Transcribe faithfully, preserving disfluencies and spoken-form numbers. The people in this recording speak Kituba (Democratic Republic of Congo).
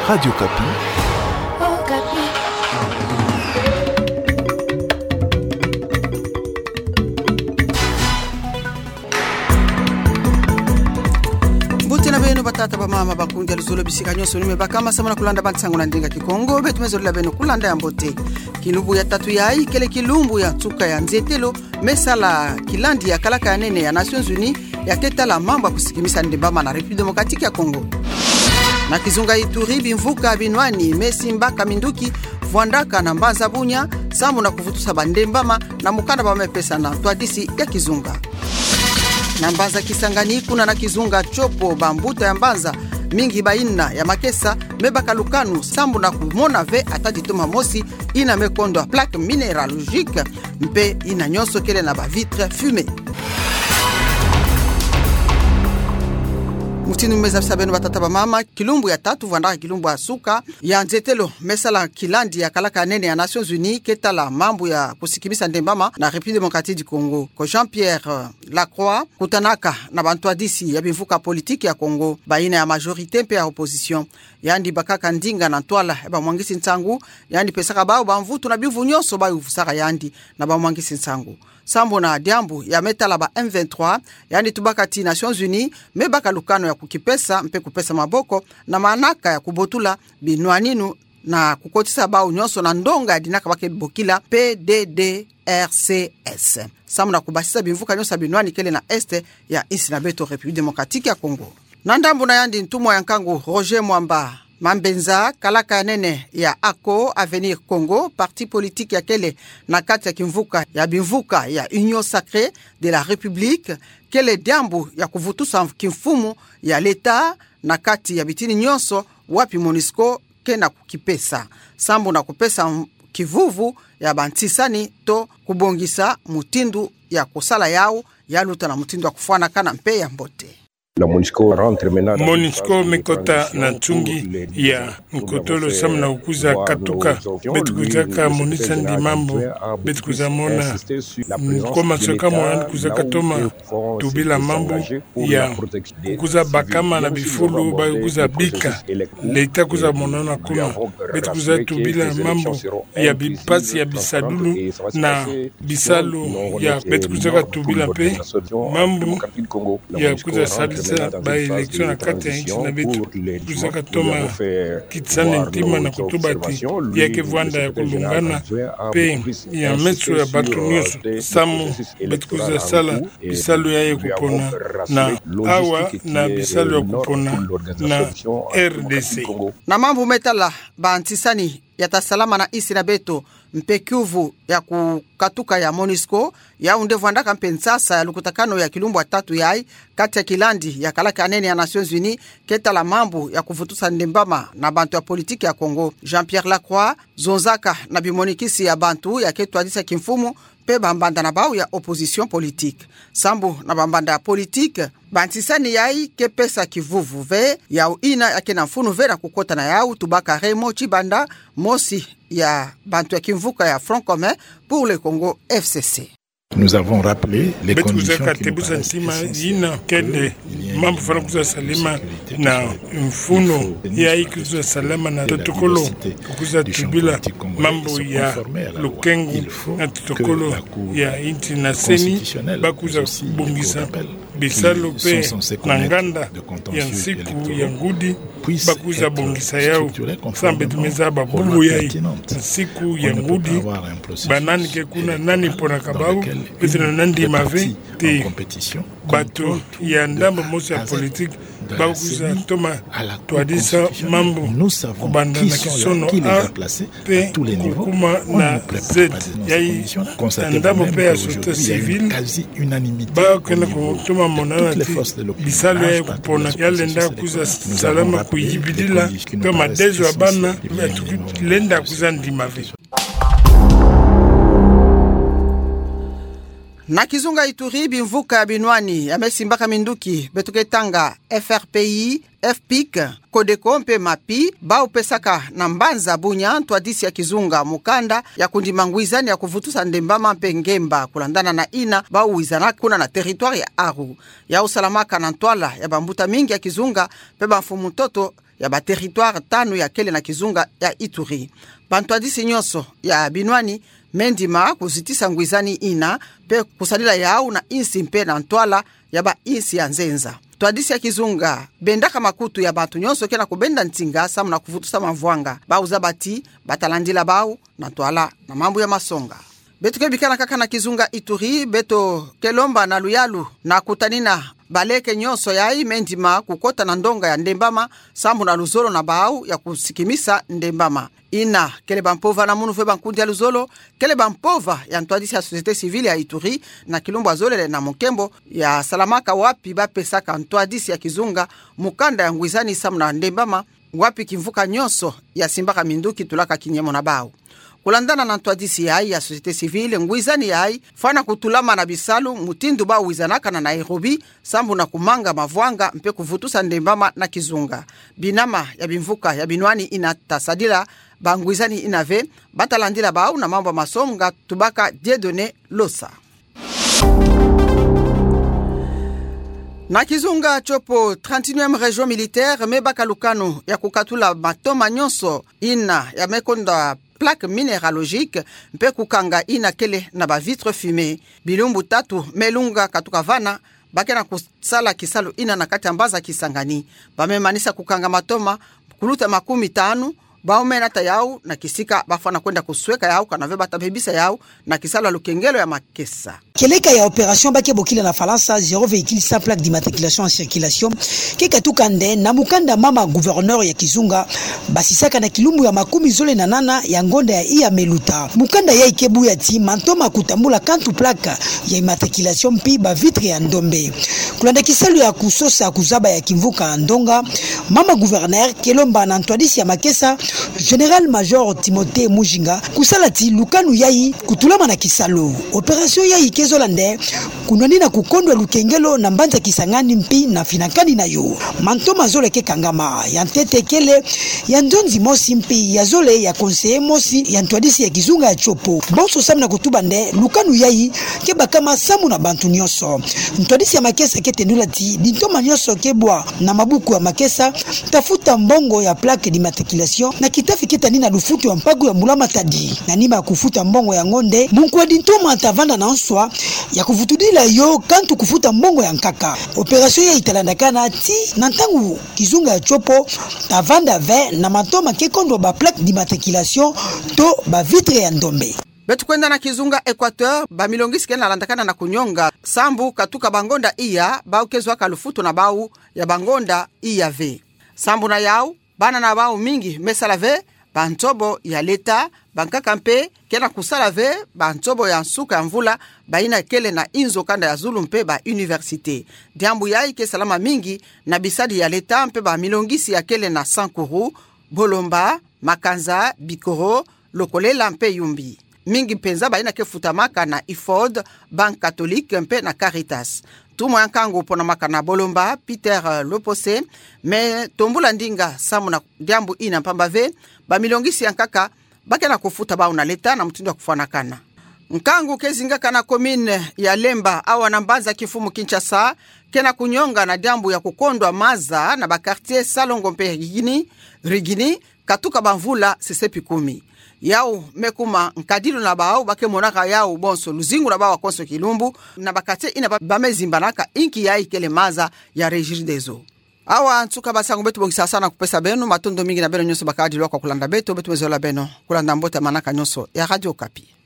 Radio Okapi. Mbote na beno batata, bamama, bakundi ya luzolo, bisika nyonso beno me bakama samu na kulanda bansangu na ndinga Kikongo. Beto me zolila beno kulanda ya mbote. Kilumbu ya tatu yayi kele kilumbu ya nsuka ya nzietelo me sala kilandi ya kalaka ya nene ya Nations Unies ya ke tala mambu ya kusikimisa ndembama na République Démocratique ya Congo. Na kizunga Ituri, bimvuka binwani me simbaka minduki vwandaka na mbanza Bunia samu na kuvutusa bandembama na mukanda ba me pesa na ntwadisi ya kizunga. Na mbanza Kisangani, kuna na kizunga Tshopo, bambuta ya mbanza mingi bayina ya makesa me baka lukanu samu na kumona ve ata ditoma mosi yina me kondwa plaque minéralogique, mpe yina nyonso kele na ba vitres fumées. Mutindu me zabisa beno batata, bamama, kilumbu ya tatu vwandaka kilumbu ya nsuka ya nzietelo me sala kilandi ya kalaka ya nene ya Nations Unies ke tala mambu ya kusikimisa ndembama na République Démocratique du Congo. Ko Jean-Pierre Lacroix kutanaka na bantwadisi ya bimvuka politique ya Congo, bayina ya majorité mpe ya opposition. Yandi bakaka ndinga na ntwala ya bamwangisi nsangu, yandi pesaka bawu bamvutu na bimvu nyonso bawu vusaka yandi na bamwangisi nsangu. Sambu na diambu ya me tala ba M vingt-trois, yandi tubaka ti Nations Unies me baka lukanu ya kukipesa mpe kupesa maboko na manaka ya kubotula binwaninu na kukotisa bawu nyonso na ndonga ya dinaka ba ke bokila P D D R C S, samu na kubasisa bimvuka nyonso ya binwani kele na Est ya insi na beto République Démocratique ya Congo. Na ndambu na yandi, ntumwa ya nkangu Roger Mwamba Mambenza, kalaka ya nene ya ACO, Avenir Congo, parti politique ya kele na kati ya kimvuka ya bimvuka ya Union Sacrée de la République, kele diambu ya kuvutusa kimfumu ya l'État na kati ya bitini nyonso wapi MONUSCO ke na kukipesa, sambu na kupesa kivuvu ya bantisani to kubongisa mutindu ya kusala yawu, ya luta na mutindu ya kufwanakana mpe ya mbote. MONUSCO me kota na nsungi ya nkotolo samu na kukuza katuka. Beto kuzaka monisa yandi mambu, beto kuza mona, nkoma soka mo yandi kuzaka toma tubila mambu ya kukuza bakama na bifulu ba kuza bika. L'État kuza monona kuna. Beto kuza tubila mambu ya bimpasi ya bisadulu na bisalu ya beto kuzaka tubila mpe mambu ya kuza salisa ba élection na kati ya insi na beto. Kuzaka toma kitisana ntima na kutuba ti ya ke vwanda ya kulungana mpe ya meso ya bato nyonso, samu beto kuza sala bisalu ya ye kupona na awa na bisalu ya kupona na R D C. Na mambu me tala bantisani ya ta salama na insi na beto mpe kiuvu ya kukatuka ya MONUSCO, yawu nde vwandaka mpe nsasa ya lukutakanu ya kilumbu ya tatu yayi kati ya kilandi ya kalaka ya nene ya Nations Unies ke tala mambu ya kuvutusa ndembama na bantu ya politique ya Congo. Jean-Pierre Lacroix zonzaka na bimonikisi ya bantu ya ke twadisa kimfumu mpe bambanda na bawu ya opposition politique. Sambu na bambanda ya politique, bantisani yayi ke pesa kivuvu ve, yawu yina ya ke na mfunu ve na kukota na yawu, tubaka Raymond Tshibanda, mosi ya bantu ya kimvuka ya Front Commun pour le Congo, F C C. Beto kuzaka tebusa ntima yina kele mambu fwana kuza salama na mfunu yayi kuza salama na totokolo, kuza tubila mambu ya lukengu na totokolo ya insi na CENI, ba kuza bongisa bisalu mpe na nganda ya nsiku ya ngudi, ba kuza bongisa yawu. Sambu beto me zaba bubu yayi, nsiku ya ngudi, banani ke kuna, nani ponaka bawu, beto na nandi mave ti bato ya ndambu mosi ya politique ba kuza toma twadisa mambu kubanda na kisono A mpe kukuma na Z. Yayi na ndambu mpe ya société civile ba ke na kutoma monana ti bisalu ya kupona ya lenda kuza salama kuyibidila mpe madezo ya bana ya tuki lenda kuza ndima ve. Na kizunga Ituri, bimvuka binwani ya me simbaka minduki beto ke tanga F R P I, F P I C, CODECO mpe MAPI, bawu pesaka na mbanza Bunia ntwadisi ya kizunga mukanda ya kundima ngwizani ya kuvutusa ndembama mpe ngemba, kulandana na yina bawu wizana kuna na territoire ya Aru. Yawu salamaka na ntwala ya bambuta mingi ya kizunga mpe bamfumu ntoto ya ba territoire tanu ya kele na kizunga ya Ituri. Bantwadisi nyonso ya binwani me ndima kuzitisa ngwizani ina, mpe kusadila yau na insi mpe na ntwala ya ba insi ya nzenza. Ntwadisi ya kizunga bendaka makutu ya bantu nyonso ke na kubenda ntinga samu na kuvutusa mavwanga. Bau zaba ti bata landila bau na ntwala na mambu ya masonga. Beto ke bikana kaka na kizunga Ituri, beto ke lomba na luyalu na kutanina baleke nyonso yai me ndima kukota na ndonga ya Ndembama, sambu na luzolo na bau ya kusikimisa Ndembama. Ina kele bampova na munu ve bankundi ya luzolo, kele bampova ya ntwadisi ya société civile ya Ituri, na kilumbu azolele na mio nkembo ya salamaka wapi bapesaka ntwadisi ya kizunga mukanda ya ngwizani samu na Ndembama, wapi kimvuka nyonso ya simbaka minduki tulaka kinyemo na bau. Kulandana na ntwadisi yai ya société civile, ngwizani yai fwana kutulama na bisalu mutindu bau wizanaka na Nairobi, sambu na kumanga mavwanga mpe kuvutusa Ndembama na kizunga. Binama ya bimvuka ya binwani ina ta sadila bangwizani ina ve, bata landila bau na mambu ya masonga, tubaka Dieudonné Losa. Na kizunga Tshopo, trente-et-unième région militaire me baka lukanu ya kukatula matoma nyonso ina ya me konda plaque minéralogique, mpe kukanga ina kele na ba vitres fumées. Bilumbu tatu me lunga katuka vana, ba ke na kusala kisalu ina na kati ya mbanza Kisangani. Ba me manisa kukanga matoma, kuluta makumi tanu, bau me nata yau na kisika ba fwana kwenda kusweka yau, kana ve bata bebisa yau na kisalu ya lukengelo ya makesa. Kieleka ya opération ba ke bokila na Falansa zéro véhicule sans plaque d'immatriculation en circulation ke katuka nde na mukanda mama gouverneur ya kizunga basisaka na kilumbu ya makumi zole na nana ya ngonda ya iya me luta. Mukanda yai ke buya ti matoma kutambula kantu plaque ya immatriculation mpi ba vitres ya ndombe. Kulanda kisalu ya kusosa kuzaba ya kimvuka ndonga, mama gouverneur ke lomba na ntwadisi ya makesa, général-major Timothée Mujinga, kusala ti lukanu yai kutulama na kisalu. Opération yai ke zola nde kunwanina kukondwa lukengelo na mbanza Kisangani mpi na finakani na yo. Matoma zole ke kangama, ya ntete kele ya nzonzi mosi mpi ya zole ya conseiller mosi ya ntwadisi ya kizunga ya Tshopo. Bonso samu na kutuba nde lukanu yai ke bakama samu na bantu nyonso. Ntwadisi ya makesa ke tendula ti ditoma nyonso ke bwa na mabuku ya makesa ta futa mbongo ya plaque d'immatriculation na kitafi ke tani na lufutu ya mpaku ya mbula matadi. Na nima ya kufuta mbongo yango nde munkwa ditoma ta vanda na nswa ya kuvutudila yo kantu kufuta mbongo ya nkaka. Opération yai ta landakana ti na ntangu kizunga ya Tshopo ta vanda ve na matoma ke kondwa ba plaque d'immatriculation to ba vitres ya ndombe. Beto kwenda na kizunga Équateur, bamilongisi ke na landakana na kunyonga sambu katuka bangonda iya, bau ke zwaka lufutu na bau ya bangonda iya ve. Sambu na yau, bana na bau mingi me sala ve bantobo ya leta, bankaka mpe ke na kusala ve bantobo ya nsuka ya mvula, bayina kele na inzo kanda ya zulu mpe ba université. Diambu yai ke salama mingi na bisadi ya leta mpe bamilongisi ya kele na Sankuru, Bolomba, Makanza, Bikoro, Lokolela mpe Yumbi. Mingi mpenza bayina ke futamaka na IFOD, Banque Catholique mpe na Caritas. Ntumwa ya nkangu ponamaka na Bolomba, Peter, eh, Lopose, me tombula ndinga samu na diambu ina mpamba ve bamilongisi ya nkaka ba ke na kufuta bau na leta na mutindu ya kufwanakana. Nkangu ke zingaka na commune ya Lemba, awa na mbanza kimfumu Kinshasa, ke na kunyonga na diambu ya kukondwa maza na ba quartier Salongo mpe Rigini, Rigini, katuka bamvula sesepi kumi. Yau me kuma nkadilu na bau, ba ke monaka yau bonso luzingu na bau wa konso kilumbu, na ba quartier ina ba, ba me zimbanaka, inki yai kele maza ya Regideso. Awa nsuka basangu beto bongisasa na kupesa beno, matondo mingi na beno nyonso bakadilu kwa kulanda beto, beto me zola beno, kulanda mbote ya manaka nyonso ya Radio Okapi.